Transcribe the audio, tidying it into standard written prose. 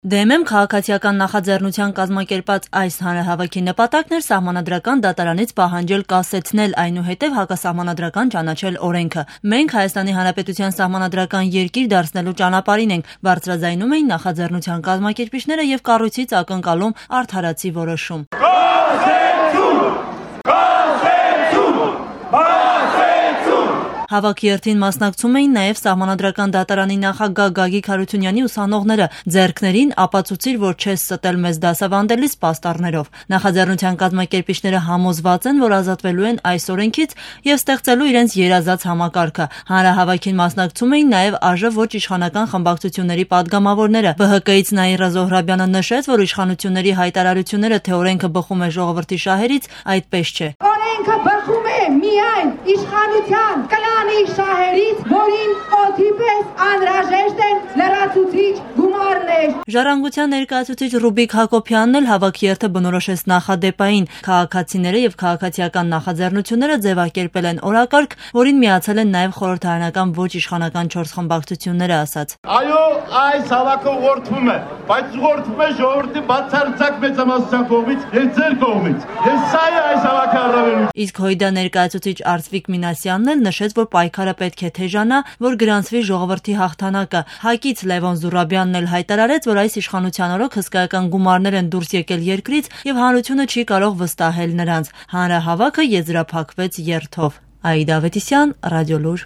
ԴՄՄ քաղաքացիական նախաձեռնության կազմակերպած այս հանրահավաքի նպատակն էր սահմանադրական դատարանից պահանջել կասեցնել, այնուհետև հակասահմանադրական ճանաչել օրենքը։ Մենք Հայաստանի Հանրապետության սահմանադրական երկիր դարձնելու ճանապարհին ենք, բարձրաձայնում էին նախաձեռնության կազմակերպիչները եւ կառույցից ակնկալում արդարացի որոշում։ Հավաքի երթին մասնակցում էին նաև սահմանադրական դատարանի նախագահ Գագիկ Հարությունյանի ուսանողները, ձեռքներին ապացուցիր, որ չես ստել մեզ դասավանդելիս պաստառներով։ Նախաձեռնության կազմակերպիչները համոզված են, որ ազատվելու են այս օրենքից եւ ստեղծելու իրենց երազած համակարգը։ Հանրահավաքին մասնակցում էին նաև ԱԺ ոչ իշխանական խմբակցությունների падգամավորները։ ԲՀԿ-ից Նաիրա Զոհրաբյանը նշեց, որ իշխանությունների հայտարարությունները, թե օրենքը բխում է ժողովրդի շահերից, այդպես չէ։ Օրենքը բխում է միայն իշխանության շահերից, որին օդի պես անհրաժեշտ են լրացուցիչ գումարներ։ Ժառանգության ներկայացուցիչ Ռուբիկ Հակոբյանն էլ հավաքի երթը բնորոշեց նախադեպային։ Քաղաքացիները եւ քաղաքացիական նախաձեռնությունները ձևակերպել են օրակարգ, որին միացել են նաև խորհրդարանական ոչ իշխանական 4 խմբակցությունները, ասաց. Այո, այս հավաքը ուղղորդվում է, բայց ուղղորդվում է ժողովրդի բացարձակ մեծամասնության կողմից եւ ձեր կողմից։ Ես սա է այս հավաքի առավելությունը։ Իսկ ՀՅԴ ներկայացուցիչ Արծվիկ Մինասյանն էլ նշեց, որ պայքարը պետք է թեժանա, որ գրանցվի ժողովրդի հաղթանակը։ ՀԱԿ-ից Լևոն Զուրաբյանն էլ հայտարարեց, որ այս իշխանության օրոք հսկայական գումարներ են դուրս եկել երկրից եւ հանրությունը չի կարող վստահել նրանց։ Հանրահավաքը եզրափակվեց երթով։ Աիդա Ավետիսյան, Ռադիոլուր։